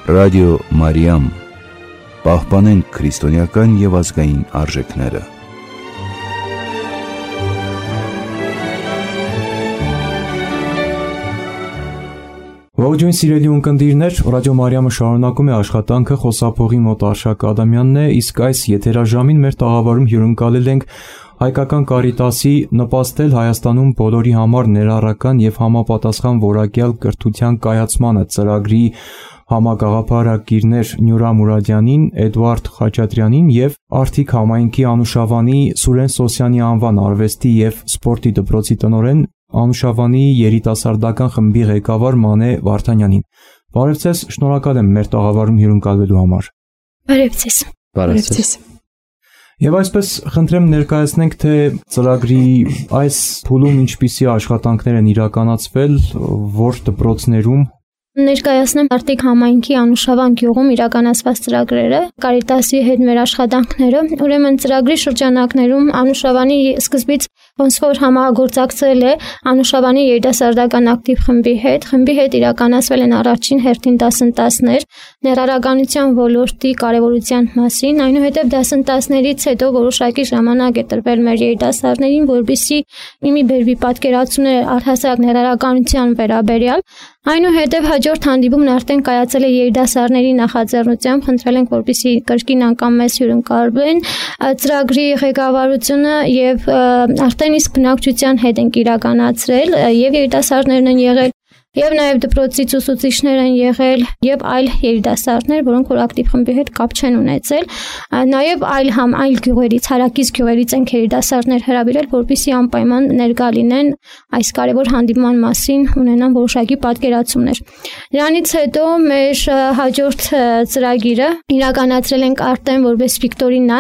Ռադիո Մարիամ, պահպանենք քրիստոնեական և ազգային արժեքները։ Ողջույն սիրելի ունկնդիրներ, Ռադիո Մարիամը շարունակում է աշխատանքը, խոսափողի մոտ Արշակ Ադամյանն է, իսկ այս եթերաժամին մեր տաղավարում հյուրընկալել ենք Հայկական Կարիտասի նպաստել Հայաստանում բոլորի համար ներառական և համապատասխան որակյալ կրթության կայացմանը ծրագրի համագաղափարակիրներ Նյուրա Մուրադյանին, Էդուարդ Խաչատրյանին և Արթիկ համայնքի Անուշավանի Սուրեն Սոսյանի անվան արվեստի և սպորտի դպրոցի տնօրեն, Անուշավանի երիտասարդական խմբի ղեկավար Մանե Վարդանյանին։ Բարև ձեզ, շնորհակալ եմ մեր տաղավարում հյուրընկալվելու համար։ Բարև ձեզ։ Բարև ձեզ։ Եվ այսպես խնդրեմ ներկայացնենք, թե ծրագրի այս փուլում ինչպիսի աշխատանքներ են իրականացվել, որ դպրոցներում։ Ներկայացնեմ Արթիկ համայնքի Անուշավան գյուղում իրականացված ծրագրերը, Կարիտասի հետ մեր աշխատանքները։ Ուրեմն ծրագրի շրջանակներում Անուշավանի սկզբից ոնց որ համագործակցել է Անուշավանի երիտասարդական ակտիվ խմբի հետ իրականացվել են առաջին հերթին դասընթացներ ներառականության ոլորտի կարևորության մասին, այնուհետև դասընթացներից հետո որոշակի ժամանակ է տրվել մեր երիտասարդներին, որպեսզի մի բերվի պատկերացումներ առհասարակ ներառականության վերաբերյալ, այնուհետև հաջորդ հանդիպումն արդեն կայացել է երիտասարդների նախաձեռնությամբ, խնդրել ենք, որպեսզի կրկին անգամ մեզ հյուրընկալվեն ծրագրի ղեկավարությունը եւ արդեն իսկ բնակչության հետ ենք իրականացրել եւ երիտասարդներն են եղել եւ նաեւ դպրոցից ուսուցիչներ են եղել եւ այլ երիտասարդներ, որոնք որ ակտիվ խմբի հետ կապ չեն ունեցել, նաեւ այլ գյուղերից, հարակից գյուղերից են երիտասարդներ հրավիրել, որպեսզի անպայման ներկա լինեն այս կարևոր հանդիպման մասին, ունենան որոշակի պատկերացումներ։ Դրանից հետո մեր հաջորդ ծրագիրը իրականացրել ենք արդեն որպես վիկտորինա,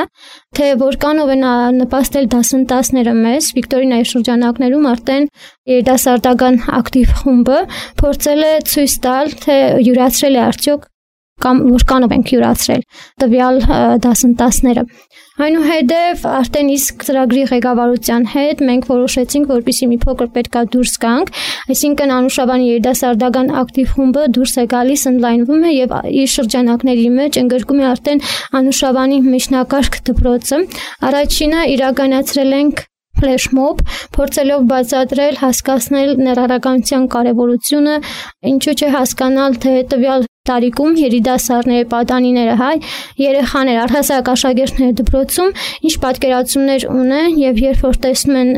թե որքանով են նպաստել դասընթացները մեզ վիկտորինայի շրջանակներում արդեն երիտասարդական ակտիվ խումբը փորձել է ցույց տալ, թե յուրացրել է արդյոք կամ որքանով ենք յուրացրել տվյալ դասընթացները։ Այնուհետև արդեն իսկ ծրագրի ղեկավարության հետ մենք որոշեցինք, որպեսզի մի փոքր պետքա դուրս գանք, այսինքն Անուշավանի երիտասարդական ակտիվ խումբը դուրս է գալիս, ընդլայնվում է եւ իր շրջանակների մեջ ընդգրկում է արդեն Անուշավանի միջնակարգ դպրոցը։ Առաջինը իրականացրել ենք ֆլեշմոբ, փորձելով բացատրել, հասկացնել ներառականության կարևորությունը, ինչու՞ չէ հասկանալ, թե տվյալ տարիքում երիտասարդները, պատանիները, երեխաներ, առհասարակ աշակերտները դպրոցում ինչ պատկերացումներ ունեն եւ երբ որ տեսնում են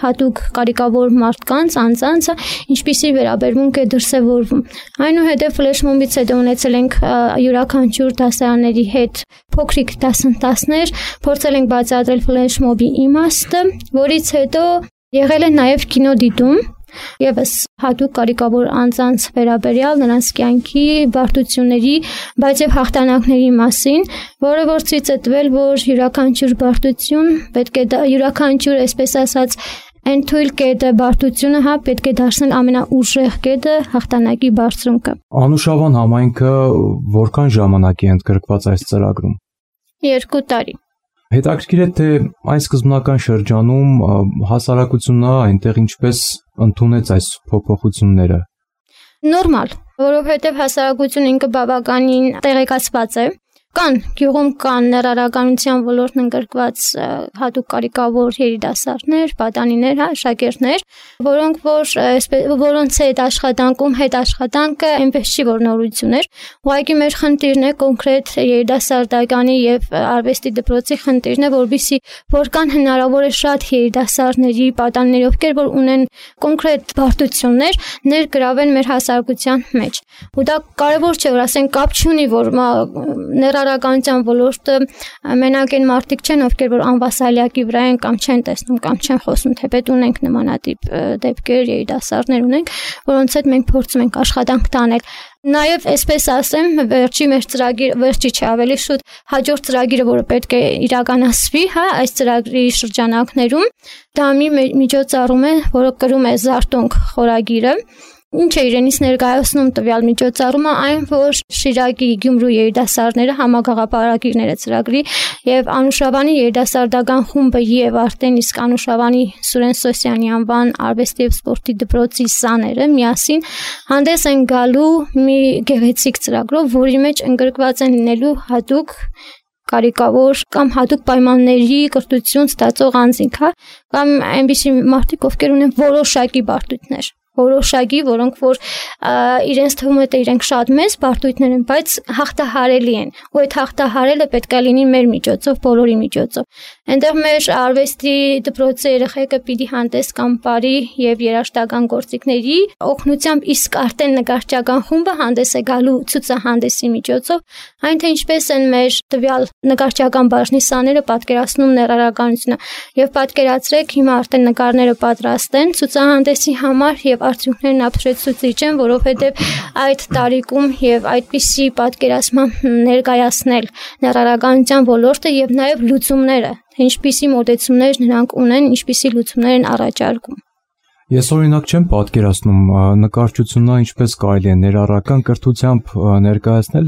հատուկ կարիքավոր մարդկանց, անձանցը, ինչպիսի վերաբերմունք է դրսևորվում։ Այնուհետև ֆլեշմոբից հետո ունեցել ենք յուրաքանչյուր դասարանների հետ փոքրիկ դասընթացներ, փորձել ենք բացատրել ֆլեշմոբի իմաստը, որից հետո եղել է նաեւ կինոդիտում Եվս հատուկ կարիքավոր անձանց վերաբերյալ նրանց կյանքի բարդությունների, բայց եւ հաղթանակների մասին, որը որ ցույց է տվել, որ յուրաքանչյուր բարդություն պետք է յուրաքանչյուր, այսպես ասած, այն թույլ կետը բարդությունը, պետք է դարձնել ամենաուժեղ կետը հաղթանակի բարձունքը։ Անուշավան համայնքը որքան ժամանակ է ընդգրկված այս ծրագրում։ 2 տարի։ Հետաքրքիր է, թե այն սկզբնական շրջանում հասարակությունը այնտեղ ինչպես ընդունեց այս փոփոխությունները։ Նորմալ, որովհետև հասարակությունը ինքը բավականին տեղեկացված է։ Գյուղում կան ներառականության ոլորտն ընդգրկված հատուկ կարիքավոր երիտասարդներ, պատանիներ, աշակերտներ, որոնց հետ աշխատանքը այնպես չի որ նորություն էր։ Ուղղակի մեր խնդիրն է կոնկրետ երիտասարդականի եւ արվեստի դպրոցի խնդիրն է, որովհետեւ որքան հնարավոր է շատ երիտասարդների, պատանիների, ովքեր որ ունեն կոնկրետ բարդություններ, ներգրավեն մեր հասարակության մեջ։ Ու դա կարևոր չէ, որ ասեն կապ չունի, որ ներառականության ոլորտը մենակ այն մարդիկ չեն, ովքեր որ անվասալյակի վրա են կամ չեն տեսնում կամ չեն խոսում, թեպետ ունենք նմանատիպ դեպքեր, երիտասարդներ ունենք, որոնց հետ մենք փորձում ենք աշխատանք տանել։ Նաև այսպես ասեմ, վերջի չէ, ավելի շուտ հաջորդ ծրագիրը, որը պետք է իրականացվի, այս ծրագրի շրջանակներում, դա մի միջոցառում է, որը կրում է Զարտոնք խորագիրը, Ինչ է իրենից ներկայացնում տվյալ միջոցառումը, այն որ Շիրակի Գյումրու երիտասարդները համագաղափարակիրները ծրագրի եւ Անուշավանի երիտասարդական խումբը եւ արդեն իսկ Անուշավանի Սուրեն Սոսյանի անվան արվեստի եւ սպորտի դպրոցի սաները միասին հանդես են գալու մի գեղեցիկ ծրագրով, որի մեջ ընդգրկված են լինելու հատուկ կարիքավոր կամ հատուկ պայմանների կրթություն ստացող անձինք, կամ այնպիսի մարդիկ, ովքեր ունեն որոշակի բարդություններ, որոնք որ իրենց թվում է թե իրենք շատ մեծ բարդություններ են, բայց հաղթահարելի են, ու այդ հաղթահարելը պետք է լինի մեր միջոցով, բոլորի միջոցով։ Այնտեղ մեր արվեստի դպրոցի երեխեքը պիտի հանդես կան բարի եւ երաժշտական գործիքների օգնությամբ, իսկ արդեն նկարչական խումբը հանդես է գալու ցուցահանդեսի միջոցով, այն թե ինչպես են մեր տվյալ նկարչական բաժնի սաները պատկերացնում ներառականությունը, եւ պատկերացրեք հիմա արդեն նկարները պատրաստ են ցուցահանդեսի համար եւ արդյունքներն ապշեցուցիչ են, որովհետև այդ տարիքում եւ այդպիսի պատկերացմամբ ներկայացնել ներառականության ոլորտը եւ նաեւ լուծումները, ինչպիսի մոտեցումներ նրանք ունեն, ինչպիսի լուծումներ են առաջարկում։ Ես օրինակ չեմ պատկերացնում նկարչությունը ինչպես կարելի է ներառական կրթությամբ ներկայացնել,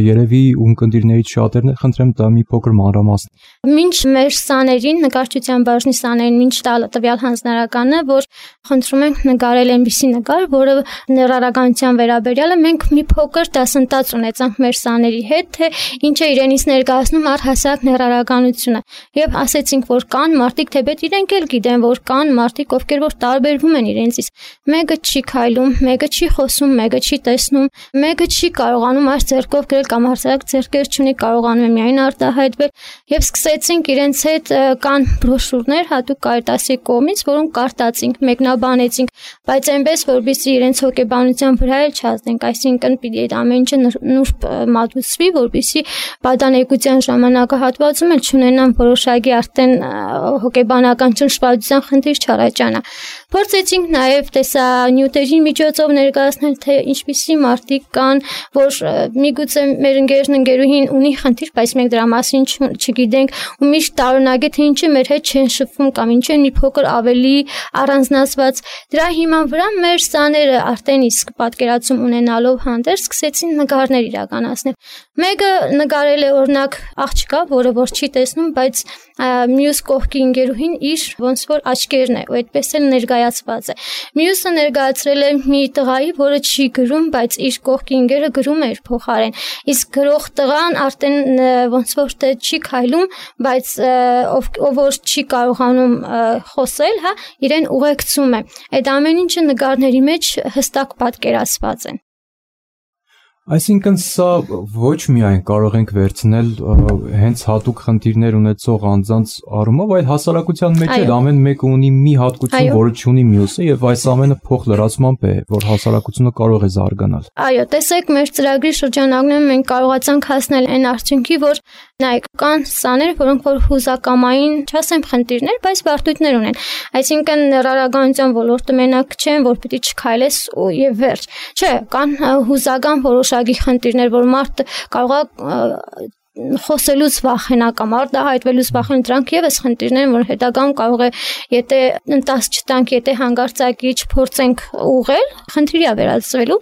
երևի ունկնդիրներից շատերն խնդրեմ դա մի փոքր մանրամասն։ Մինչ մեր սաներին, նկարչության բաժնի սաներին, մինչ տալը տվյալ հանձնարարականը, որ խնդրում ենք նկարել այնպիսի նկար, որը ներառականության վերաբերյալ է, մենք մի փոքր դասընթաց ունեցանք մեր սաների հետ, թե ինչ է իրենից ներկայացնում առհասարակ ներառականությունը, եւ ասեցինք, որ կան մարդիկ, թեպետ իրենք էլ գիտեն, որ կան մարդիկ, ովքեր որ տարբերվում են իրենցից, մեկը չի քայլում, մեկը չի խոսում, մեկը չի տեսնում, մեկը չի կարողանում այս ձեռքով գրել կամ հասարակ ձեռքեր չունի, կարողանում է միայն արտահայտվել, եւ սկսեցինք իրենց հետ կան բրոշուրներ հատուկ Կարիտասի կողմից, որոնք կարտացինք, մեկնաբանեցինք, բայց այնպես որպեսզի իրենց հոգեբանության վրա էլ չազդենք, այսինքն պիտի այդ ամեն ինչը նուրբ մատուցվի, որպեսզի պատանեկության ժամանակահատվածում էլ չունենան որոշակի արդեն հոգեբանական ճնշվածության խնդիր չառաջանա։ Փորձեցինք նաև տեսանյութերի միջոցով ներկայացնել, թե ինչպիսի մարդիկ կան, որ միգուցե մեր ընկերուհին ունի խնդիր, բայց մենք դրա մասին չգիտենք, ու միշտ տարօրինակ է, թե ինչը մեր հետ չեն շփվում կամ ինչ են մի փոքր ավելի առանձնացված։ Դրա հիման վրա մեր սաները արդեն իսկ պատկերացում ունենալով հանդերձ սկսեցին նկարներ իրականացնել։ Մեկը նկարել է օրինակ աղջկա, որը որ չի տեսնում, բայց մյուս կողքի ընկերուհին իր ոնց որ աչքերն է, ու այդպես էլ ներկայացված է։ Մյուսը ներկայացրել է մի տղայի, որը չի գրում, բայց իր կողքի ընկերը գրում է իր փոխարեն։ Իսկ գրող տղան արդեն ոնց որ թե չի քայլում, բայց ով որ չի կարողանում խոսել, հա, իրեն ուղեկցում է։ Այդ ամեն ինչը նկարների մեջ հստակ պատկերացված է։ Այսինքն սա ոչ միայն կարող ենք վերցնել հենց հատուկ խնդիրներ ունեցող անձանց առումով, այլ հասարակության մեջ էլ ամեն մեկը ունի մի հատկություն, որը չունի մյուսը, եւ այս ամենը փոխլրացմամբ է, որ հասարակությունը կարող է զարգանալ։ Այո, տեսեք, մեր ծրագրի շրջանակներում մենք կարողացանք հասնել այն արդյունքի, որ նայեք, կան սաներ, որոնք որ հուզակամային, չասեմ խնդիրներ, բայց բարդություններ ունեն։ Այսինքն ներառականության ոլորտը մենակ չեն, որ պիտի չքայլես ու եւ վերջ։ Չէ, կան հուզական որոշակի խնդիրներ, որ մարդը կարող է խոսելուց վախենա կամ արտահայտվելուց վախենա, դրանք եւս խնդիրներ են, որ հետագայում կարող է, եթե ընտաս չտանք, եթե հանգարցակի չփորձենք ուղղել, խնդիրի է վերածվելու։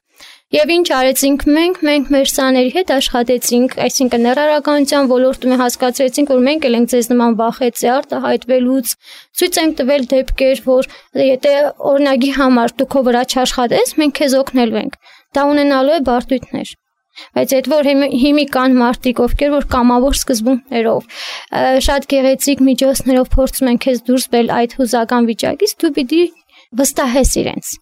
Եվ ինչ արեցինք մենք մեր սաների հետ աշխատեցինք, այսինքն ներառականության ոլորտում հասկացրեցինք, որ մենք էլ ենք ձեզ նման վախեցի արտահայտվելուց, ցույց ենք տվել դեպքեր, որ եթե օրինակի համար դու քո վրա չաշխատես, մենք քեզ օգնելու ենք։ Դա ունենալու է բարդություններ։ Բայց այդ որ հիմի կան մարդիկ, ովքեր որ կամավոր սկզբունքներով, շատ գեղեցիկ միջոցներով փորձում են քեզ դուրս բերել այդ հուզական վիճակից, դու պիտի վստահես իրենց։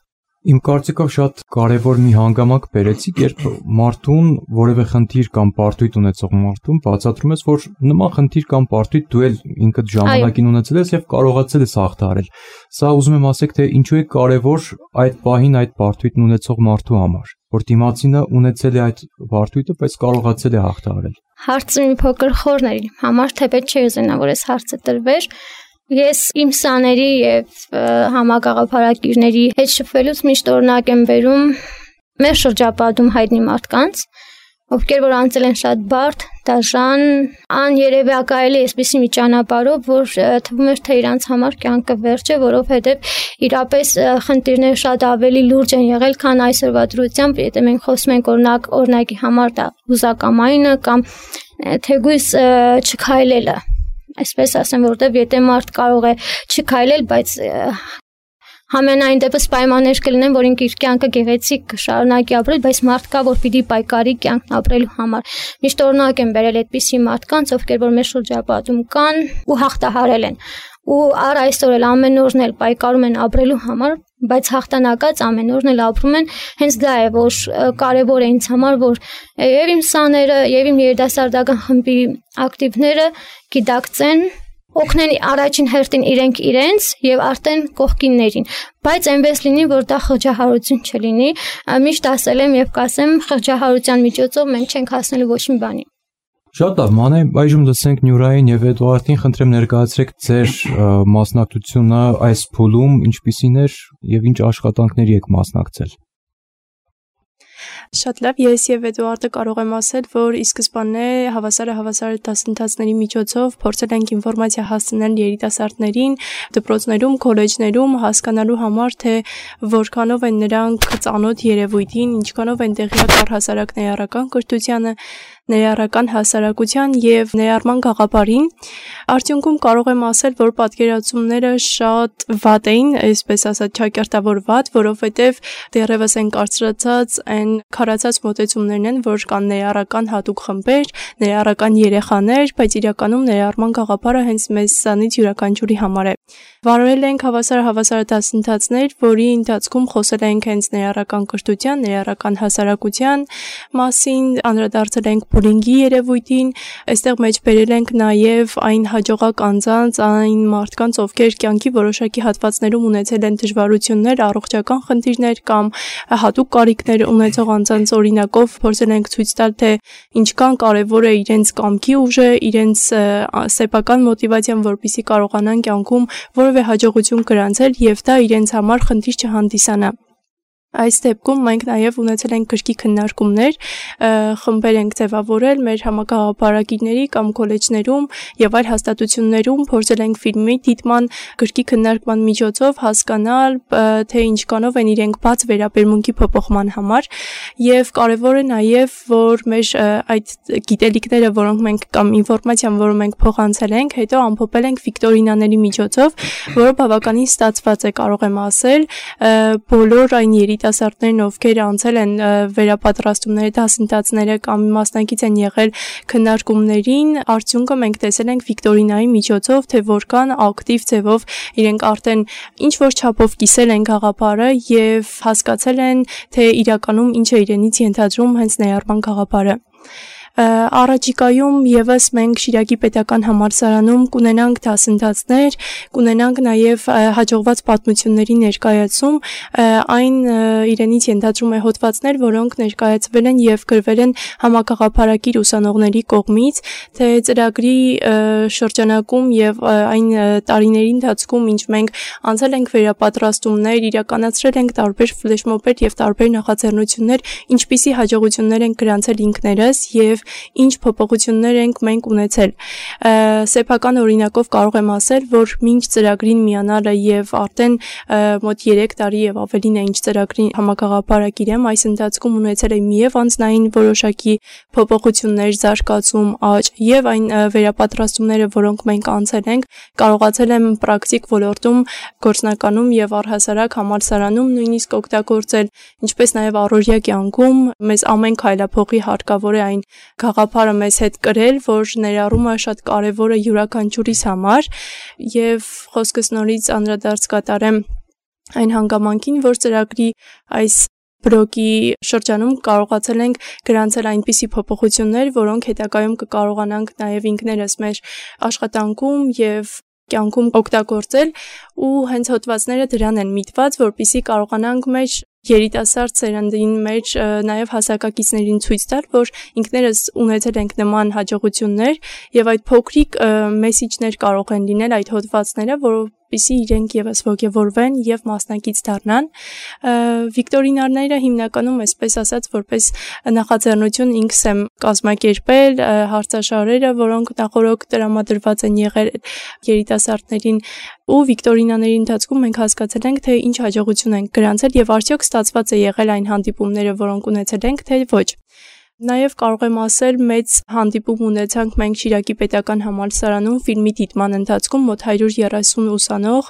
Իմ կարծիքով շատ կարևոր մի հանգամանք բերեցիք, երբ մարդուն որևէ խնդիր կամ պարտույտ ունեցող մարդուն բացատրում ես, որ նման խնդիր կամ պարտույտ դու էլ ինքդ ժամանակին ունեցել ես եւ կարողացել ես հաղթահարել։ Սա ուզում եմ ասեք, թե ինչու է կարևոր այդ պահին այդ պարտույտն ունեցող մարդու համար, որ դիմացինը ունեցել է այդ պարտույտը, բայց կարողացել է հաղթահարել։ Հարցը մի փոքր խորն է, համար թեպետ չի ուզենա, որ այս հարցը տրվեր։ Ես իմ սաների եւ համագաղափարակիրների հետ շփվելուց միշտ օրինակ եմ բերում մեր շրջապատում հայտնի մարդկանց, ովքեր որ անցել են շատ բարդ, դաժան, աներևակայելի այսպիսի մի ճանապարհով, որ թվում էր թե իրանց համար կյանքը վերջ է, որովհետև իրապես խնդիրները շատ ավելի լուրջ են եղել, քան այսօրվա դրությամբ, եթե մենք խոսում ենք օրինակի համար դա հուզակամայինը կամ թեգույս չքայլելը, այսպես ասեմ, որովհետև եթե մարդ կարող է չքայլել, բայց համենայն դեպս պայմաններ կլինեն, որ ինքը իր կյանքը գեղեցիկ կշարունակի ապրել, բայց մարդ կա, որ պիտի պայքարի կյանքն ապրելու համար։ Միշտ օրինակ եմ բերել այդպիսի մարդկանց, ովքեր որ մեր շրջապատում կան ու հաղթահարել են։ Ու առ այսօր էլ ամեն օրն էլ պայքարում են ապրելու համար, բայց հաղթանակած ամեն օրն էլ ապրում են։ Հենց դա է, որ կարևոր է ինձ համար, որ եւ իմ սաները, եւ իմ երիտասարդական խմբի ակտիվները գիտակցեն, օգնեն առաջին հերթին իրենք իրենց եւ արդեն կողքիններին, բայց այնպես լինի, որ դա խղճահարություն չլինի։ Միշտ ասել եմ եւ կասեմ, խղճահարության միջոցով մենք չենք հասնելու ոչ մի բանի։ Շատ լավ, մանե այժմ լսենք Նյուրային եւ Էդուարդին, խնդրեմ ներկայացրեք ձեր մասնակցությունը այս փուլում, ինչպիսին էր եւ ինչ աշխատանքների եք մասնակցել։ Շատ լավ, ես եւ Էդուարդը կարող եմ ասել, որ ի սկզբանե հավասար դասընթացների միջոցով փորձել ենք ինֆորմացիա հասցնել երիտասարդներին, դպրոցներում, քոլեջներում հասկանալու համար, թե որքանով են նրանք ծանոթ երևույթին, ինչքանով են տեղյակ առհասարակ ներառական կրթությանը, ներառական հասարակության եւ ներառման գաղափարին։ Արդյունքում կարող եմ ասել, որ պատկերացումները շատ վատ էին, այսպես ասած, ճակերտավոր վատ, որովհետեւ դեռևս են կարծրացած այն քարացած մոտեցումներն են, որ կան ներառական հատուկ խմբեր, ներառական երեխաներ, բայց իրականում ներառման գաղափարը հենց մեզանից յուրաքանչյուրի համար է։ Վարել ենք հավասար դասընթացներ, որի ընթացքում խոսել ենք հենց ներառական կրթության, ներառական հասարակության մասին, անդրադարձել ենք բուլինգի երևույթին, այստեղ մեջ բերել ենք նաև այն հաջողակ անձանց, այն մարդկանց, ովքեր կյանքի որոշակի հատվածներում ունեցել են դժվարություններ, առողջական խնդիրներ կամ հատուկ կարիքներ ունեցող անձանց օրինակով փորձել ենք ցույց տալ, թե ինչքան կարևոր է իրենց կամքի ուժը, իրենց սեփական մոտիվացիան, որպեսզի կարողանան կյանքում որևէ հաջողություն գրանցել եւ դա իրենց համար խնդիր չհանդիսանա։ Այս դեպքում մենք նաև ունեցել ենք գրքի քննարկումներ, խմբեր ենք ձևավորել մեր համագաղափարագիրների կամ քոլեջներում եւ այլ հաստատություններում, փորձել ենք ֆիլմի դիտման, գրքի քննարկման միջոցով հասկանալ, թե ինչքանով են իրենք բաց վերաբերմունքի փոփոխման համար եւ կարեւոր է նաև, որ մեր այդ գիտելիքները, որոնք մենք կամ ինֆորմացիան, որը մենք փոխանցել ենք, հետո ամփոփել ենք վիկտորինաների միջոցով, որը բավականին ստացված է, կարող եմ ասել, բոլոր այն երիտասարդներն, ովքեր անցել են վերապատրաստումների դասընթացները կամ մասնակից են եղել քննարկումներին, արդյունքը մենք տեսել ենք վիկտորինայի միջոցով, թե որքան ակտիվ ձևով իրենք արդեն ինչ որ չափով կիսել են գաղափարը եւ հասկացել են, թե իրականում ինչ է իրենից ենթադրում հենց ներառման գաղափարը։ Առաջիկայում եւս մենք Շիրակի պետական համալսարանում կունենանք դասընթացներ, կունենանք նաև հաջողված պատմությունների ներկայացում, այն իրենից ենթադրում է հոդվածներ, որոնք ներկայացվել են եւ գրվել են համագաղափարակիր ուսանողների կողմից, թե ծրագրի շրջանակում եւ այն տարիների ընթացքում, ինչ մենք անցել ենք վերապատրաստումներ, իրականացրել ենք տարբեր ֆլեշմոբեր եւ տարբեր նախաձեռնություններ, ինչպիսի հաջողություններ են գրանցել ինքներս եւ ինչ փոփոխություններ ենք մենք ունեցել։ Սեփական օրինակով կարող եմ ասել, որ մինչ ծրագրին միանալը եւ արդեն մոտ 3 տարի եւ ավելին է ինչ ծրագրի համագաղափարակիր եմ, այս ընթացքում ունեցել եմ եւ անձնային որոշակի փոփոխություններ, զարգացում, աճ եւ այն վերապատրաստումները, որոնք մենք անցել ենք, կարողացել եմ պրակտիկ ոլորտում, գործնականում եւ առհասարակ համալսարանում նույնիսկ օգտագործել, ինչպես նաեւ առօրյա կյանքում մեզ ամեն քայլափոխի հարկավոր է այն գաղափարը մեզ հետ կրել, որ ներառումը շատ կարևոր է յուրաքանչյուրիս համար եւ խոսքս նորից անդրադարձ կատարեմ այն հանգամանքին, որ ծրագրի այս բլոկի շրջանում կարողացել ենք գրանցել այնպիսի փոփոխություններ, որոնք հետագայում կկարողանանք նաեւ ինքներս մեր աշխատանքում եւ կյանքում օգտագործել ու հենց հոդվածները դրան են միտված, որպեսզի կարողանանք մեր երիտասարդ սերնդին մեջ նաև հասակակիցներին ցույց տալ, որ ինքներս ունեցել ենք նման հաջողություններ եւ այդ փոքրիկ մեսիջներ կարող են լինել այդ հոդվածները, որպեսզի իրենք եւս ոգևորվեն եւ մասնակից դառնան։ Վիկտորինաները հիմնականում այսպես ասած որպես նախաձեռնություն ինքս եմ կազմակերպել հարցաշարերը, որոնք նախորդ տրամադրված են եղել երիտասարդներին ու վիկտորինաների ընթացքում մենք հասկացել ենք, թե ինչ հաջողություն ենք գրանցել եւ արդյոք ստացված է եղել այն հանդիպումները, որոնք ունեցել ենք, թե ոչ։ Նաև կարող եմ ասել, մեծ հանդիպում ունեցանք մենք Շիրակի պետական համալսարանում ֆիլմի դիտման ընթացքում մոտ 130 ուսանող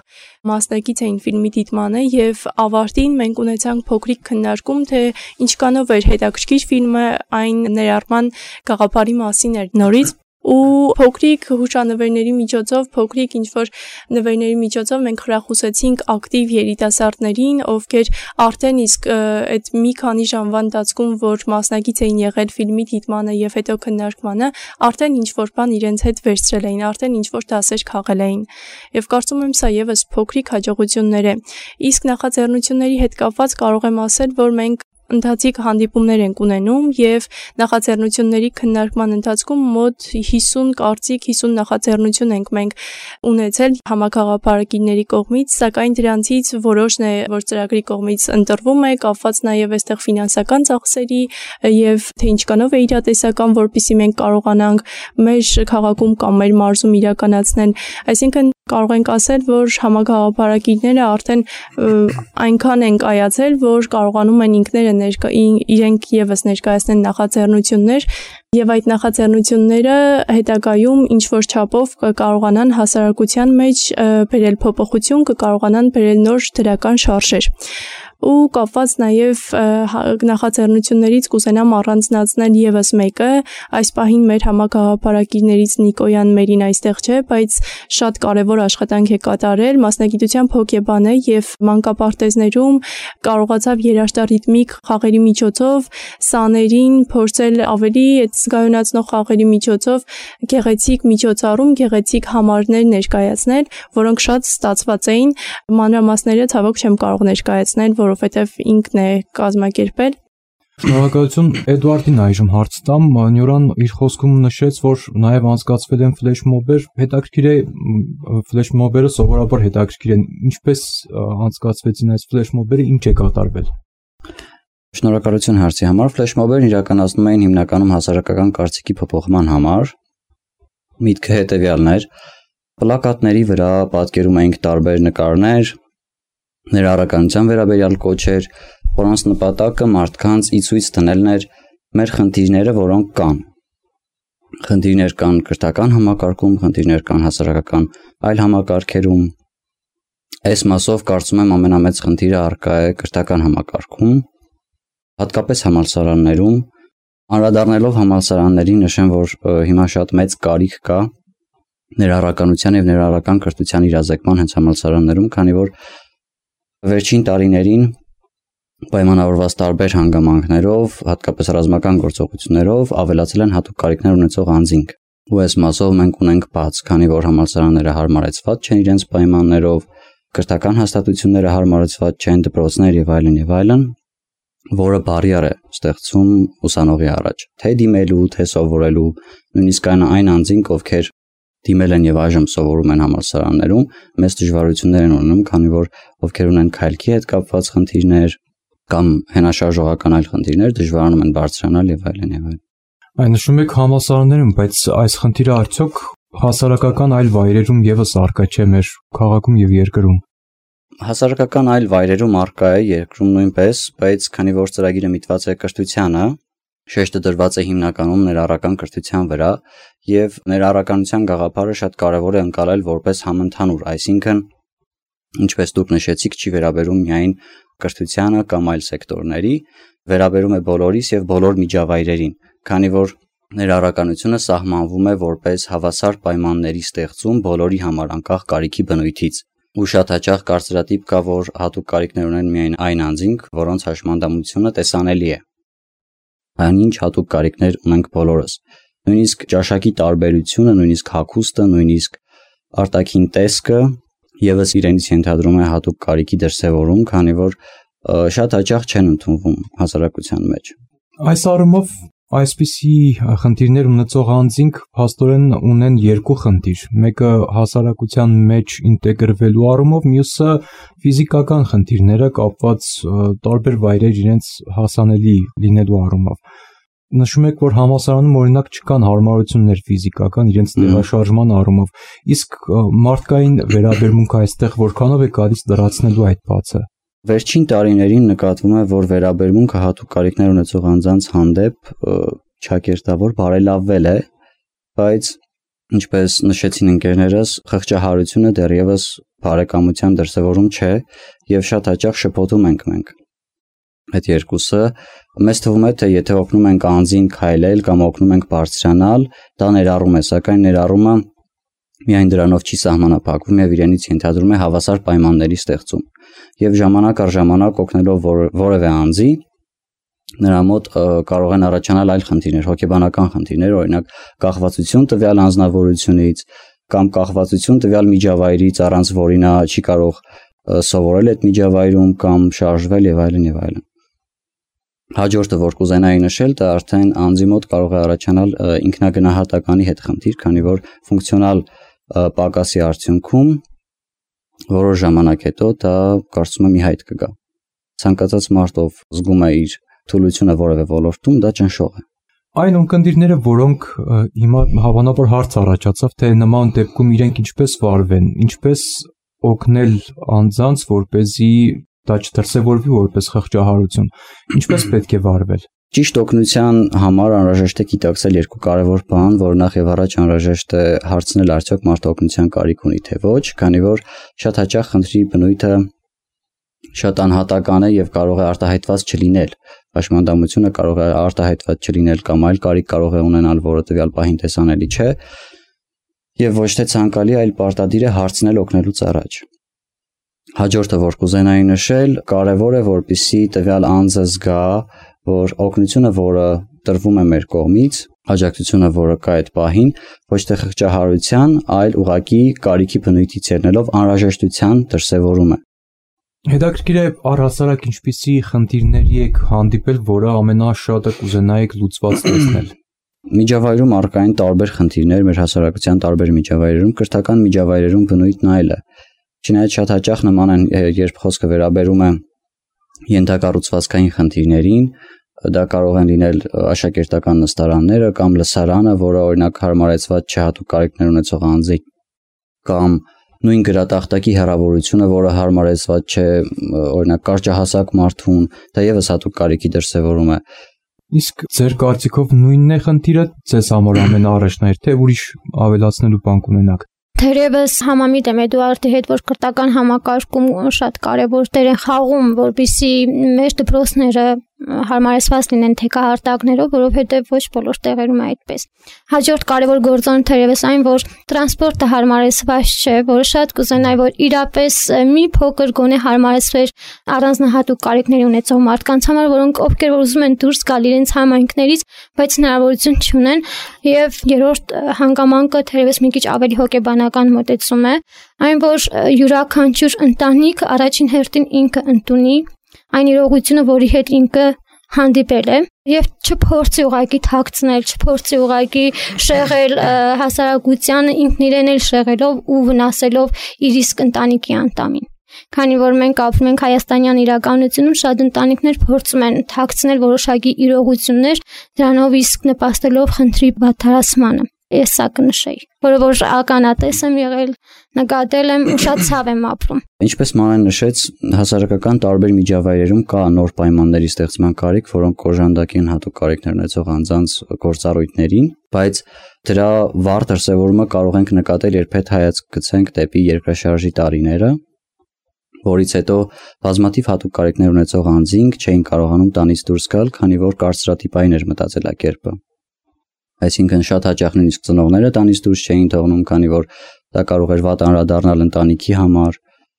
մասնակից էին ֆիլմի դիտմանը եւ ավարտին մենք ունեցանք փոքրիկ քննարկում, թե ինչքանով էր հետաքրքիր ֆիլմը, այն ներառման գաղափարի մասին էր նորից ու փոքրիկ հուշանվերների միջոցով, փոքրիկ ինչ-որ նվերների միջոցով մենք խրախուսեցինք ակտիվ երիտասարդներին, ովքեր արդեն իսկ այդ մի քանի ժամվա ընթացքում, որ մասնակից էին եղել ֆիլմի դիտմանը եւ հետո քննարկմանը, արդեն ինչ-որ բան իրենց հետ վերցրել էին, արդեն ինչ-որ դասեր քաղել էին։ Եվ կարծում եմ սա եւս փոքրիկ հաջողություններ է։ Իսկ նախաձեռնությունների հետ կապված կարող եմ ասել, որ մենք ընթացիկ հանդիպումներ ենք ունենում եւ նախաձեռնությունների քննարկման ընթացքում մոտ 50 կարծիք 50 նախաձեռնություն ենք մենք ունեցել համագաղափարակիցների կողմից, սակայն դրանցից որոշն է, որ ծրագրի կողմից ընտրվում է, կապված նաեւ այստեղ ֆինանսական ծախսերի եւ թե ինչքանով է իրատեսական, որպեսզի մենք կարողանանք մեր քաղաքում կամ մեր մարզում իրականացնել, այսինքն կարող ենք ասել, որ համագաղափարակիցները արդեն այնքան են կայացել, որ կարողանում են ինքները իրենք եւս ներկայացնել նախաձեռնություններ եւ այդ նախաձեռնությունները հետագայում ինչ որ չափով կարողանան հասարակության մեջ բերել փոփոխություն, կարողանան բերել նոր դրական շարժեր։ Ու կապված նաև նախաձեռնություններից կուզենամ առանձնացնել եւս մեկը, այս պահին մեր համագաղափարակիցներից Նիկոյան Մերին այստեղ չէ, բայց շատ կարևոր աշխատանք է կատարել, մասնագիտությամբ հոգեբան է եւ մանկապարտեզներում կարողացավ երաժշտարիթմիկ խաղերի միջոցով սաներին փորձել ավելի զգայունացնող խաղերի միջոցով գեղեցիկ միջոցառում, գեղեցիկ համարներ ներկայացնել, որոնք շատ ստացված էին, մանրամասները ցավոք չեմ կարող ներկայացնել, որովհետև ինքն է կազմակերպել։ Շնորհակալություն Էդուարդին այժմ հարց տամ, Նյուրան իր խոսքում նշեց, որ նաև անցկացվել են ֆլեշմոբեր, հետաքրքիր է ֆլեշմոբերը սովորաբար հետաքրքիր են, ինչպես անցկացվեցին այս ֆլեշմոբերը, ինչ է կատարվել։ Շնորհակալություն հարցի համար, ֆլեշմոբերն իրականացնում էին հիմնականում հասարակական կարծիքի փոփոխման համար։ Միտքը հետևյալն էր, պլակատների վրա պատկերում էինք տարբեր նկարներ, ներառականության վերաբերյալ կոչեր, որոնց նպատակը մարդկանց ի ցույց դնելն էր մեր խնդիրները, որոնք կան։ Խնդիրներ կան կրթական համակարգում, խնդիրներ կան հասարակական այլ համակարգերում։ Այս մասով կարծում եմ ամենամեծ խնդիրը առկա է կրթական համակարգում, հատկապես համալսարաններում։ Անդրադառնալով համալսարաններին նշեմ, որ հիմա շատ մեծ կարիք կա ներառականության եւ ներառական կրթության իրազեկման հենց համալսարաններում, քանի որ վերջին տարիներին պայմանավորված տարբեր հանգամանքներով, հատկապես ռազմական գործողություններով ավելացել են հատուկ կարիքներ ունեցող անձինք։ Ու այս մասով մենք ունենք բաց, քանի որ համալսարանները հարմարեցված չեն իրենց պայմաններով, կրթական հաստատությունները հարմարեցված չեն, դպրոցներ եւ այլն, որը բարիեր է ստեղծում ուսանողի առաջ, թե դիմելու, թե սովորելու, նույնիսկ այն անձինք, ովքեր դիմել են եւ այժմ սովորում են համալսարաններում, մեծ դժվարություններ են ունենում, քանի որ ովքեր ունեն քայլքի հետ կապված խնդիրներ կամ հենաշարժողական այլ խնդիրներ, դժվարանում են բարձրանալ եւ այլն։ Այն նշում եք համալսարաններում, բայց այս խնդիրը արդյոք հասարակական այլ վայրերում եւս առկա չէ մեր քաղաքում եւ երկրում։ Հասարակական այլ վայրերում առկա է, երկրում նույնպես, բայց քանի որ ծրագիրը միտված է կրթությանը, շեշտը դրված է հիմնականում ներառական կրթության վրա եւ ներառականության գաղափարը շատ կարեւոր է ընկալել որպես համընդհանուր, այսինքն ինչպես դուք նշեցիք, չի վերաբերում միայն կրթությանը կամ այլ սեկտորների, վերաբերում է բոլորիս եւ բոլոր միջավայրերին, քանի որ ներառականությունը սահմանվում է որպես հավասար պայմանների ստեղծում բոլորի համար անկախ կարիքի բնույթից։ Ու շատ հաճախ կարծրատիպ կա, որ հատուկ կարիքներ ունեն միայն այն անձինք, որոնց հաշմանդամությունը տեսանելի է։ Այնինչ հատուկ կարիքներ ունենք բոլորս։ Նույնիսկ ճաշակի տարբերությունը, նույնիսկ հագուստը, նույնիսկ արտաքին տեսքը եւս իրենից ենթադրում է հատուկ կարիքի դրսևորում, քանի որ շատ հաճախ չեն ընդունվում հասարակության մեջ։ Այս առումով Այսպիսի խնդիրներ ունեցող անձինք փաստորեն ունեն երկու խնդիր, մեկը հասարակության մեջ ինտեգրվելու առումով, մյուսը ֆիզիկական խնդիրները կապված տարբեր վայրեր իրենց հասանելի լինելու առումով։ Նշում եք, որ համալսարանում օրինակ չկան հարմարություններ ֆիզիկական իրենց տեղաշարժման առումով, իսկ մարդկային վերաբերմունքը այստեղ որքանով է գալիս լրացնելու այդ բացը։ Վերջին տարիներին նկատվում է, որ վերաբերմունքը հատուկ կարիքներ ունեցող անձանց հանդեպ ճակերտավոր բարելավվել է, բայց ինչպես նշեցին ընկերներս, խղճահարությունը դեռևս բարեկամության դրսևորում չէ եւ շատ հաճախ շփոթում ենք մենք։ Այդ երկուսը մեզ թվում է, թե եթե օգնում ենք անձին քայլել կամ օգնում ենք բարձրանալ, դա ներառում է, սակայն ներառումը միայն դրանով չի սահմանափակվում եւ իրենից ենթադրում է հավասար պայմանների ստեղծում։ Եվ ժամանակ առ ժամանակ օգնելով որևէ անձի, նրա մոտ կարող են առաջանալ այլ խնդիրներ, հոգեբանական խնդիրներ, օրինակ կախվածություն տվյալ անձնավորությունից կամ կախվածություն տվյալ միջավայրից, առանց որի նա չի կարող սովորել այդ միջավայրում կամ շարժվել եւ այլն եւ այլն։ Հաջորդը, որ կուզենայի նշել, դա արդեն անձի մոտ կարող է առաջանալ ինքնագնահատականի հետ խնդիր, քանի որ ֆունկցիոնալ պակասի արդյունքում որոշ ժամանակ հետո դա կարծում եմ ի հայտ կգա։ Ցանկացած մարդ, ով զգում է իր թուլությունը որևէ ոլորտում, դա ճնշող է։ Այն ունկնդիրները, որոնք հիմա հավանաբար հարց առաջացավ, թե նման դեպքում իրենք ինչպես վարվեն, ինչպես օգնել անձանց, որպեսզի դա չդրսևորվի որպես խղճահարություն, ինչպես պետք է վարվել։ Ճիշտ օգնության համար անհրաժեշտ է գիտակցել երկու կարևոր բան, որ նախ եւ առաջ անհրաժեշտ է հարցնել արդյոք մարդը օգնության կարիք ունի թե ոչ, քանի որ շատ հաճախ խնդրի բնույթը շատ անհատական է եւ կարող է արտահայտված չլինել։ Պաշտպանությունը կարող է արտահայտված չլինել կամ այլ կարիք կարող է ունենալ, որը տվյալ պահին տեսանելի չէ եւ ոչ թե ցանկալի, այլ պարտադիր է հարցնել օգնելուց առաջ։ Հաջորդը, որ կուզենայի նշել, կարևոր է, որպեսզի տվյալ անձը զգա, որ օգնությունը, որը տրվում է մեր կողմից, աջակցությունը, որը կա այդ պահին, ոչ թե խղճահարության, այլ ուղղակի կարիքի բնույթից ելնելով անհրաժեշտության դրսևորում է։ Հետաքրքիր է առհասարակ ինչպիսի խնդիրների եք հանդիպել, որը ամենաշատը կուզենայիք լուծված տեսնել։ Միջավայրում առկային տարբեր խնդիրներ, մեր հասարակության տարբեր միջավայրերում, կրթական միջավայրերում բնույթն այլ է։ Չնայած շատ հաճախ նման են, երբ խոսքը վերաբերում է ենթակառուցվածքային խնդիրներին, դա կարող են լինել աշակերտական նստարանները կամ լսարանը, որը օրինակ հարմարեցված չէ հատուկ կարիքներ ունեցող անձի, կամ նույն գրատախտակի հեռավորությունը, որը հարմարեցված չէ օրինակ կարճահասակ մարդուն, դա եւս հատուկ կարիքի դրսևորում է։ Իսկ ձեր կարծիքով նույնն է խնդիրը ձեզ համար ամենաառաջնահերթ, թե ուրիշ ավելացնելու բան կունենաք։ Թերևս համամիտ եմ Էդուարդի հետ, որ կրթական համակարգում շատ կարևոր դեր են խաղում, որպեսզի մեր դպրոցները հարմարեցված լինեն թեկահարտակներով, որովհետև ոչ բոլոր տեղերում է այդպես։ Հաջորդ կարևոր գործոն թերևս այն, որ տրանսպորտը հարմարեցված չէ, որը շատ կուզենայի, որ իրապես մի փոքր գոնե հարմարեցվեր առանձնահատուկ կարիքների ունեցող մարդկանց համար, որոնք ովքեր որ ուզում են դուրս գալ իրենց համայնքներից, բայց հնարավորություն չունեն, եւ երրորդ հանգամանքը թերևս մի քիչ ավելի հոգեբանական մոտեցում է, այն որ յուրաքանչյուր ընտանիք առաջին հերթին ինքը ընդունի այն իրողությունը, որի հետ ինքը հանդիպել է, եւ չփորձի ուղակի թաքցնել, չփորձի ուղակի շեղել հասարակությանը ինքն իրեն էլ շեղելով ու վնասելով իր իսկ ընտանիքի անդամին։ Քանի որ մենք ապրում ենք հայաստանյան իրականությունում, շատ ընտանիքներ փորձում են թաքցնել որոշակի իրողություններ, դրանով իսկ նպաստելով խնդրի բացահայտմանը։ Ես սա կնշեի, որը որ ականատես եմ եղել, նկատել եմ ու շատ ցավ եմ ապրում։ Ինչպես Մանեն նշեց, հասարակական տարբեր միջավայրերում կա նոր պայմանների ստեղծման կարիք, որոնք կոժանդակի են հատուկ կարիքներ ունեցող անձանց գործառույթներին, բայց դրա վառ դրսևորումը կարող ենք նկատել, երբ հետ հայացք գցենք դեպի երկրաշարժի տարիները, որից հետո բազմաթիվ հատուկ կարիքներ ունեցող անձինք չէին կարողանում տանից դուրս գալ, քանի որ կարծրատիպային էր մտածելակերպը։ Այսինքն շատ հաճախ նույնիսկ ծնողները տանից դուրս չէին թողնում, քանի որ դա կարող էր վատ անդրադառնալ ընտանիքի համար,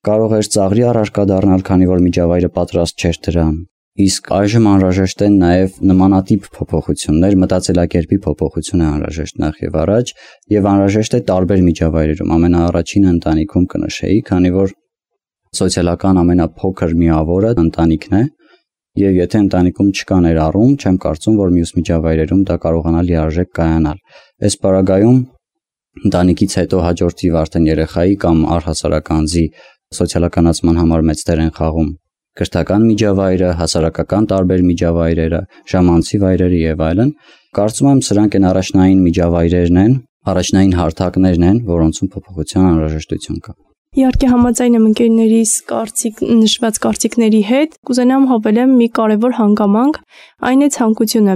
կարող էր ծաղրի առարկա դառնալ, քանի որ միջավայրը պատրաստ չէր դրան։ Իսկ այժմ անհրաժեշտ են նաև նմանատիպ փոփոխություններ, մտածելակերպի փոփոխություն է անհրաժեշտ նախ եւ առաջ, եւ անհրաժեշտ է տարբեր միջավայրերում, ամենաառաջինը ընտանիքում կնշեի, քանի որ սոցիալական ամենափոքր միավորը ընտանիքն է, Եվ եթե ընտանիքում չկա ներառում, չեմ կարծում, որ մյուս միջավայրերում դա կարողանա լիարժեք կայանալ։ Այս պարագայում ընտանիքից հետո հաջորդիվ արդեն երեխայի կամ առհասարակ անձի սոցիալականացման համար մեծ դեր են խաղում կրթական միջավայրը, հասարակական տարբեր միջավայրերը, ժամանցի վայրերը եւ այլն։ Կարծում եմ սրանք են առաջնային միջավայրերն են, առաջնային հարթակներն են, որոնցում փոփոխության անհրաժեշտություն կա։ Իհարկե համաձայն եմ ընկերներիս նշված կարծիքների հետ, կուզենամ հավելեմ մի կարևոր հանգամանք, այն է ցանկությունը։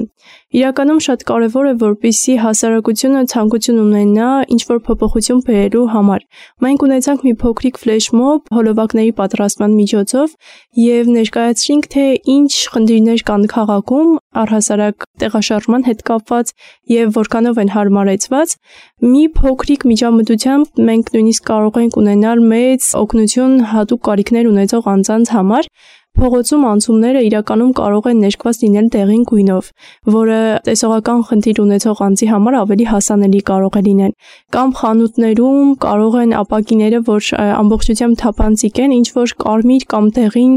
Իրականում շատ կարևոր է, որպեսզի հասարակությունը ցանկություն ունենա ինչ-որ փոփոխություն բերելու համար։ Մենք ունեցանք մի փոքրիկ ֆլեշմոբ հոլովակների պատրաստման միջոցով եւ ներկայացրինք, թե ինչ խնդիրներ կան քաղաքում առհասարակ տեղաշարժման հետ կապված եւ որքանով են հարմարեցված։ Մի փոքրիկ միջամտությամբ մենք նույնիսկ կարող ենք ունենալ մեծ օգնություն հատուկ կարիքներ ունեցող անձանց համար։ Փողոցում անցումները իրականում կարող են ներկված լինել դեղին գույնով, որը տեսողական խնդիր ունեցող անձի համար ավելի հասանելի կարող է լինել։ Կամ խանութներում կարող են ապակիները, որ ամբողջությամբ թափանցիկ են, ինչ-որ կարմիր կամ դեղին,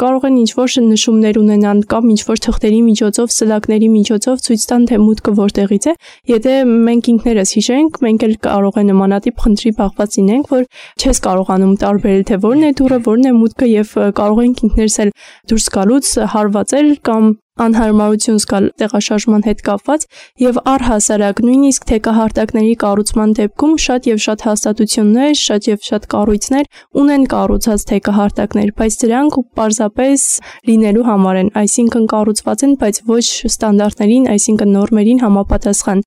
կարող են ինչ-որ նշումներ ունենան կամ ինչ-որ թղթերի միջոցով, սլակների միջոցով ցույց տան, թե մուտքը որտեղից է։ Եթե մենք ինքներս հիշենք, մենք էլ կարող է նմանատիպ խնդրի բախված լինենք, որ չես կարողանում տարբերել, թե որն է դուռը, որն է մուտքը եւ կարող ենք ինքներս դուրս գալուց հարվածել կամ անհարմարություն զգալ տեղաշարժման հետ կապված եւ առհասարակ նույնիսկ թեկահարտակների կառուցման դեպքում շատ եւ շատ հաստատություններ, շատ եւ շատ կառույցներ ունեն կառուցած թեկահարտակներ, բայց դրանք պարզապես լինելու համար են, այսինքն կառուցված են, բայց ոչ ստանդարտներին, այսինքն նորմերին համապատասխան։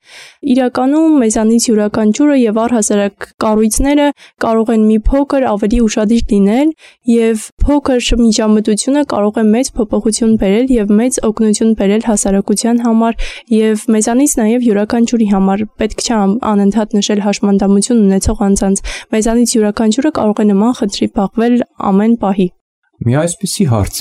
Իրականում մեզանից յուրաքանչյուրը եւ առհասարակ կառույցները կարող են մի փոքր ավելի ուշադիր լինել եւ փոքր միջամտությունը կարող է մեծ փոփոխություն բերել եւ մեծ օգնություն բերել հասարակության համար եւ մեզանից նաեւ յուրաքանչյուրի համար պետք չէ անընդհատ նշել հաշմանդամություն ունեցող անձանց մեզանից յուրաքանչյուրը կարող է նման խնդրի բախվել ամեն պահի։ Մի այսպիսի հարց.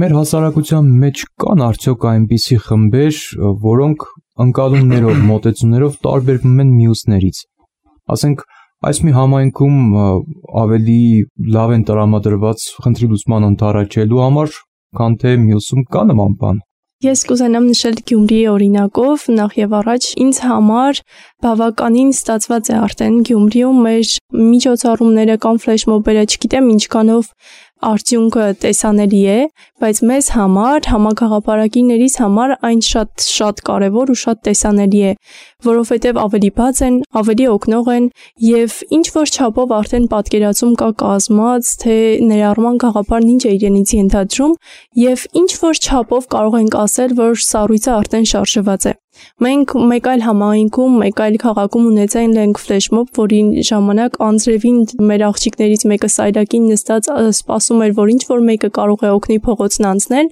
մեր հասարակության մեջ կան արդյոք այնպիսի խմբեր, որոնք ընկալումներով, մոտեցումներով տարբերվում են մյուսներից։ Ասենք այս մի համայնքում ավելի լավ են տրամադրված խնդրի լուծման ընդառաջելու համար, քան թե մյուսում կա նման բան։ Ես կուզենամ նշել Գյումրիի օրինակով, նախ եւ առաջ ինձ համար բավականին ստացված է արդեն Գյումրիում մեր միջոցառումները կամ ֆլեշմոբերը, չգիտեմ ինչքանով արդյունքը տեսանելի է, բայց մեզ համար, համագաղափարակիներից համար այն շատ կարևոր ու շատ տեսանելի է, որովհետև ավելի բաց են, ավելի օգնող են եւ ինչ որ չափով արդեն պատկերացում կա կազմած, թե ներառման գաղափարն ինչ է իրենից ենթադրում եւ ինչ որ չափով կարող ենք ասել, որ սառույցը արդեն շարժված է։ Մենք մեկ այլ համայնքում, մեկ այլ քաղաքում ունեցել ենք ֆլեշմոբ, որի ժամանակ անձրևին մեր աղջիկներից մեկը սայլակին նստած սպասում էր, որ ինչ որ մեկը կարող է օգնի փողոցն անցնել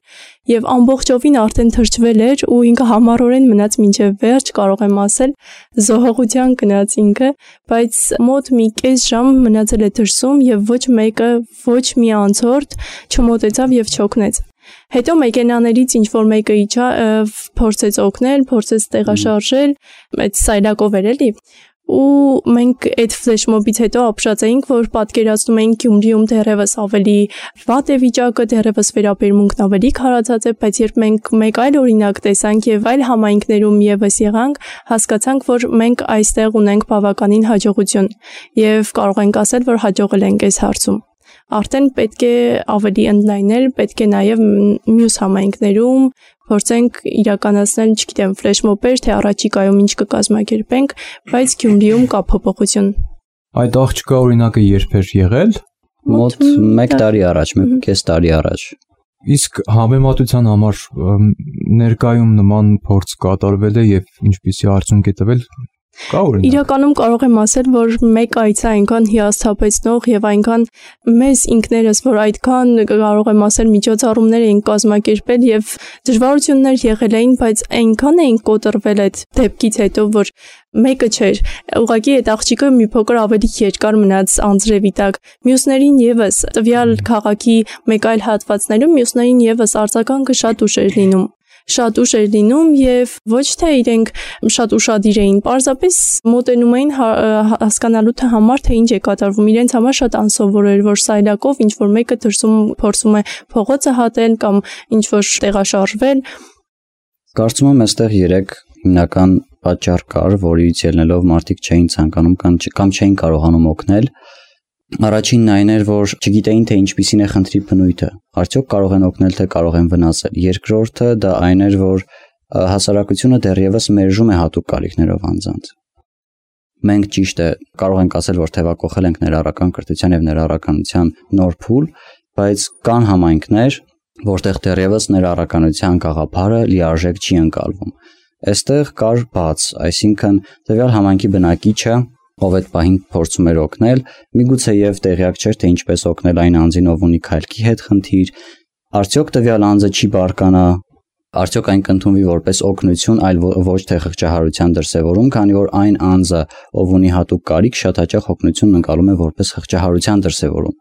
եւ ամբողջովին արդեն թրջվել էր ու ինքը համառորեն մնաց մինչեւ վերջ, կարող եմ ասել, զոհողության գնաց ինքը, բայց մոտ մի կես ժամ մնացել է դրսում եւ ոչ մեկը, ոչ մի անցորդ չմոտեցավ եւ չօգնեց։ Հետո մեքենաներից ինչ որ մեկը իջա, փորձեց օգնել, փորձեց տեղաշարժել, այդ սայլակով էր էլի։ Ու մենք այդ ֆլեշմոբից հետո ապշած էինք, որ պատկերացնում էինք Գյումրիում դեռևս ավելի վատ է վիճակը, դեռևս վերաբերմունքն ավելի քարացած է, բայց երբ մենք մեկ այլ օրինակ տեսանք եւ այլ համայնքներում եւս եղանք, հասկացանք, որ մենք այստեղ ունենք բավականին հաջողություն եւ կարող ենք ասել, որ հաջողել ենք այս հարցում։ Արդեն պետք է ավելի ընդլայնել, պետք է նաև մյուս համայնքներում փորձենք իրականացնել, չգիտեմ, ֆլեշմոբեր, թե առաջիկայում ինչ կկազմակերպենք, բայց Գյումրիում կա փոփոխություն։ Այդ աղջկա օրինակը երբ էր եղել։ Մոտ 1 տարի առաջ, 1.5 տարի առաջ։ Իսկ համեմատության համար ներկայում նման փորձ կատարվել է եւ ինչպիսի արդյունք է տվել։ Իրականում կարող եմ ասել, որ մեկ այցը այնքան հիասթափեցնող եւ այնքան մեզ ինքներս, որ այդքան կարող եմ ասել միջոցառումներ էին կազմակերպել եւ դժվարություններ եղել էին, բայց այնքան էին կոտրվել այդ դեպքից հետո, որ մեկը չէր, ուղղակի այդ աղջիկը մի փոքր ավելի երկար մնաց անձրևի տակ, մյուսներին եւս տվյալ քաղաքի մեկ այլ հատվածներում մյուսներին եւս արձագանքը շատ ուշ էր լինում։ շատ ուշ էր լինում եւ ոչ թե իրենք շատ ուշադիր էին, պարզապես մոտենում էին հասկանալու թե համար թե ինչ է կատարվում, իրենց համար շատ անսովոր էր, որ սայլակով ինչ որ մեկը դրսում փորձում է փողոցը հատել կամ ինչ որ տեղաշարժվել։ Կարծում եմ այստեղ 3 հիմնական պատճառ կար, որից ելնելով մարդիկ չէին ցանկանում կամ չէին կարողանում օգնել։ Առաջինն այն էր, որ չգիտեին թե ինչպիսին է խնդրի բնույթը, արդյոք կարող են օգնել, թե կարող են վնասել։ Երկրորդը դա այն էր, որ հասարակությունը դեռևս մերժում է հատուկ կարիքներով անձանց։ Մենք ճիշտ է կարող ենք ասել, որ թևակողել ենք ներառական կրթության եւ ներառականության նոր փուլ, բայց կան համայնքներ, որտեղ դեռևս ներառականության գաղափարը լիարժեք չի ընկալվում։ Այստեղ կար բաց, այսինքն տվյալ համայնքի բնակիչը, ով այդ պահին փորձում էր օգնել, միգուցե եւ տեղյակ չէր, թե ինչպես օգնել այն անձին, ով ունի քայլքի հետ խնդիր, արդյոք տվյալ անձը չի բարկանա, արդյոք այն կընդունվի որպես օգնություն, այլ ոչ թե խղճահարության դրսևորում, քանի որ այն անձը, ով ունի հատուկ կարիք, շատ հաճախ օգնությունն ընկալում է որպես խղճահարության դրսևորում։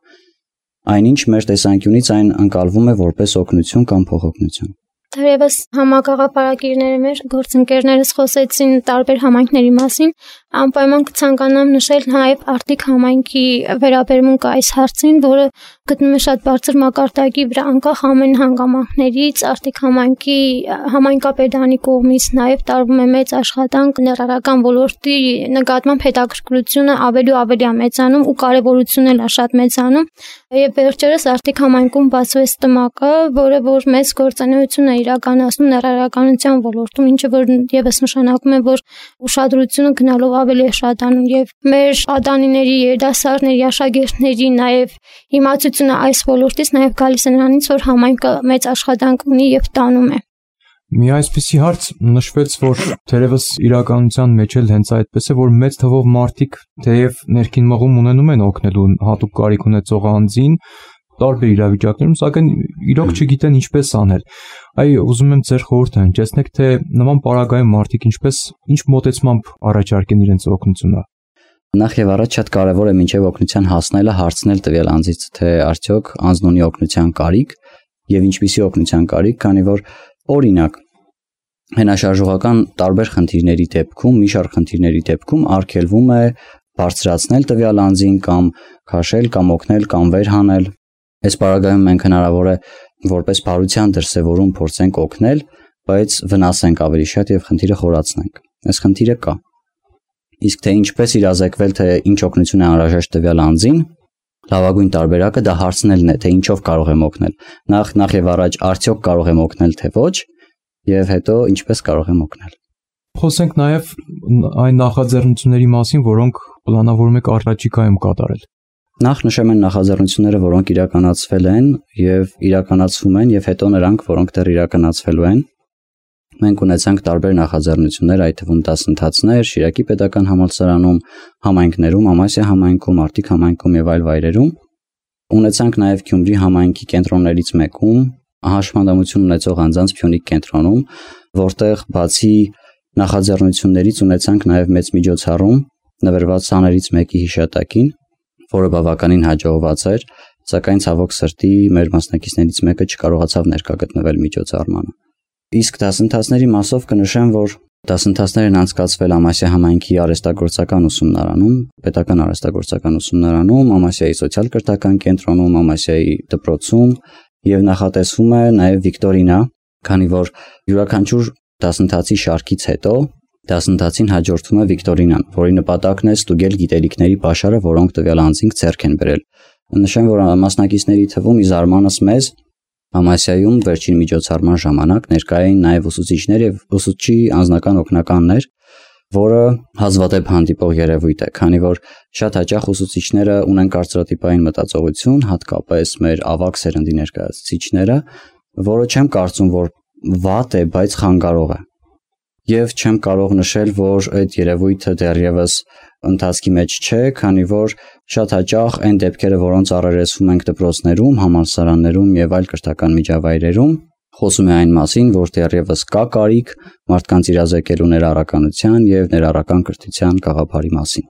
Այնինչ մեր տեսանկյունից այն ընկալվում է որպես օգնություն կամ փոխօգնություն։ Թերևս համագաղափարակիրները մեր գործընկերներս խոսեցին տարբեր համայնքների մասին, անպայման կցանկանամ նշել նաև Արտիկ համայնքի վերաբերմունք այս հարցին, որը գտնում է շատ բարձր մակարդակի վրա, անկախ ամեն հանգամանքներից Արտիկ համայնքի համայնքապետարանի կողմից նաև տարվում է մեծ աշխատանք ներառական ոլորտի նկատմամբ հետաքրքրությունը ավելի ու ավելի է մեծանում ու կարևորությունն էլ է շատ մեծանում։ Եվ վերջերս Արտիկ համայնքում բացվեց տմակը, որը որ մեծ գործունեություն է իրականացնում ներառականության ոլորտում, ինչը որ եւս նշանակում է, որ ուշադրությունը գնալով ավելի է շատանում եւ մեր պատանիների, երիտասարդների, աշակերտների նաեւ իմացությունը այս ոլորտից նաեւ գալիս է նրանից, որ համայնքը մեծ աշխատանք ունի եւ տանում է։ Մի այսպիսի հարց նշվեց, որ թերևս իրականության մեջ էլ հենց այդպես է, որ մեծ թվով մարդիկ թեև ներքին մղում ունենում են օգնելու հատուկ կարիք ունեցող անձին տարբեր իրավիճակներում, սակայն իրոք չգիտեն ինչպես անել։ Այ ուզում եմ ձեր խորհուրդը հնչեցնեք, թե նման պարագայում մարդիկ ինչ մոտեցմամբ առաջարկեն իրենց օգնությունը։ Նախ եւ առաջ շատ կարեւոր է մինչեւ օգնության հասնելը հարցնել տվյալ անձից, թե արդյոք անձն ունի օգնության կարիք եւ ինչպիսի օգնության կարիք, քանի որ օրինակ հենաշարժողական տարբեր խնդիրների դեպքում, մի շարք խնդիրների դեպքում արգելվում է բարձրացնել տվյալ անձին կամ քաշել կամ օգնել կամ վերհանել։ Այս պարագայում մենք հնարավոր է որպես բարության դրսևորում փորձենք օգնել, բայց վնասենք ավելի շատ եւ խնդիրը խորացնենք։ Այս խնդիրը կա։ Իսկ թե ինչպես իրազեկվել, թե ինչ օգնություն է անհրաժեշտ տվյալ անձին, լավագույն տարբերակը դա հարցնելն է, թե ինչով կարող եմ օգնել։ Նախ եւ առաջ արդյոք կարող եմ օգնել, թե ոչ, եւ հետո ինչպես կարող եմ օգնել։ Խոսենք նաեւ այն նախաձեռնությունների մասին, որոնք պլանավորում եք առաջիկայում կատարել։ Նախ նշեմ այն նախաձեռնությունները, որոնք իրականացվել են եւ իրականացվում են, եւ հետո նրանք, որոնք դեռ իրականացվելու են։ Մենք ունեցանք տարբեր նախաձեռնություններ, այդ թվում դասընթացներ Շիրակի պետական համալսարանում, համայնքներում, Ամասիա համայնքում, Արտիկ համայնքում եւ այլ վայրերում։ Ունեցանք նաեւ Գյումրի համայնքի կենտրոններից մեկում, հաշմանդամություն ունեցող անձանց Փյունիկ կենտրոնում, որտեղ բացի նախաձեռնություններից ունեցանք նաեւ մեծ միջոցառում նվիրված ցաներից մեկի հիշատակին, որը բավականին հաջողված էր, սակայն ցավոք սրտի մեր մասնակիցներից մեկը չկարողացավ ներկա գտնվել միջոցառմանը։ Իսկ դասընթացների մասով կնշեմ, որ դասընթացներն անցկացվել Ամասիա համայնքի արհեստագործական ուսումնարանում, պետական արհեստագործական ուսումնարանում, Ամասիայի սոցիալ-կրթական կենտրոնում, Ամասիայի դպրոցում եւ նախատեսվում է նաեւ վիկտորինա, քանի որ յուրաքանչյուր դասընթացի շարքից հետո դասընթացին հաջորդում է վիկտորինան, որի նպատակն է ստուգել գիտելիքների պաշարը, որոնք տվյալ անձին ձեռք են բերել։ Նշեմ, որ մասնակիցների թվում ի զարմանս մեզ Ամասիայում վերջին միջոցառման ժամանակ ներկա էին նաև ուսուցիչներ եւ ուսուցչի անձնական օգնականներ, որը հազվադեպ հանդիպող երևույթ է, քանի որ շատ հաճախ ուսուցիչները ունեն կարծրատիպային մտածողություն, հատկապես մեր ավագ սերնդի ներկայացուցիչները, որը չեմ կարծում, որ վատ է, բայց խանգարող է։ Եվ չեմ կարող նշել, որ այդ երևույթը դեռևս ընթացքի մեջ չէ, քանի որ շատ հաճախ այն դեպքերը, որոնց առերեսվում ենք դպրոցներում, համալսարաններում եւ այլ կրթական միջավայրերում, խոսում է այն մասին, որ դեռևս կա կարիք մարդկանց իրազեկելու ներառականության եւ ներառական կրթության գաղափարի մասին։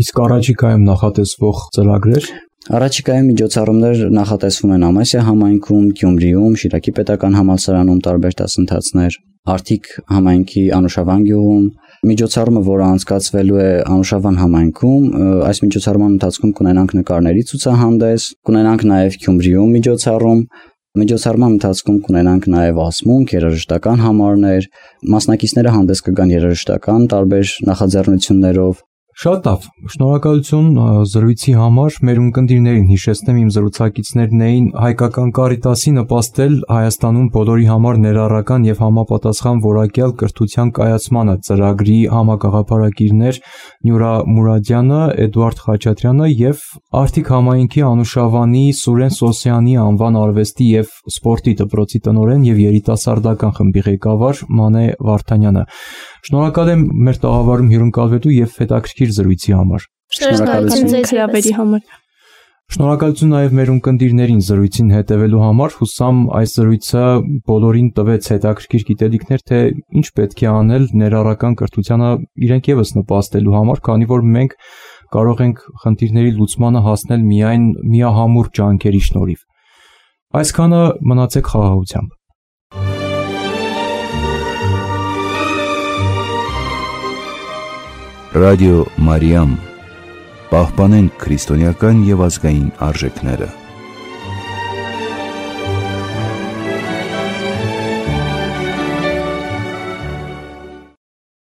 Իսկ առաջիկայում նախատեսվող ծրագրեր։ Առաջիկայում միջոցառումներ նախատեսվում են Ամասիա համայնքում, Գյումրիում, Շիրակի պետական համալսարանում տարբեր դասընթացներ, Արթիկ համայնքի Անուշավան գյուղում, միջոցառումը, որը անցկացվելու է Անուշավան համայնքում, այս միջոցառման ընթացքում կունենանք նկարների ցուցահանդես, կունենանք նաև Գյումրիում միջոցառման ընթացքում կունենանք նաև ասմունք, երաժշտական համարներ, մասնակիցները հանդես կգան երաժշտական տարբեր նախաձեռնություններով։ Շատ լավ, շնորհակալություն զրույցի համար։ Մեր ունկնդիրներին հիշեցնեմ, իմ զրուցակիցներն էին Հայկական Կարիտասի նպաստել Հայաստանում բոլորի համար ներառական եւ համապատասխան որակյալ կրթության կայացմանը ծրագրի համագաղափարակիրներ Նյուրա Մուրադյանը, Էդուարդ Խաչատրյանը եւ Արթիկ համայնքի Անուշավանի Սուրեն Սոսյանի անվան արվեստի եւ սպորտի դպրոցի տնօրեն եւ երիտասարդական խմբի ղեկավար Մանե Վարդանյանը։ Շնորհակալ եմ մեր տաղավարում հյուրընկալվելու եւ հետաքրքիր զրույցի համար։ Շնորհակալություն ձեզ հրավերի համար։ Շնորհակալություն նաև մեր ունկնդիրներին զրույցին հետևելու համար։ Հուսամ այս զրույցը բոլորին տվեց հետաքրքիր գիտելիքներ, թե ինչ պետք է անել ներառական կրթությանը իրենք եւս նպաստելու համար, քանի որ մենք կարող ենք խնդիրների լուծմանը հասնել միայն միահամուռ ջանքերի շնորհիվ։ Այսքանը մնացեք խաղաղությամբ։ Ռադիո Մարիամ, պահպանենք քրիստոնեական եւ ազգային արժեքները։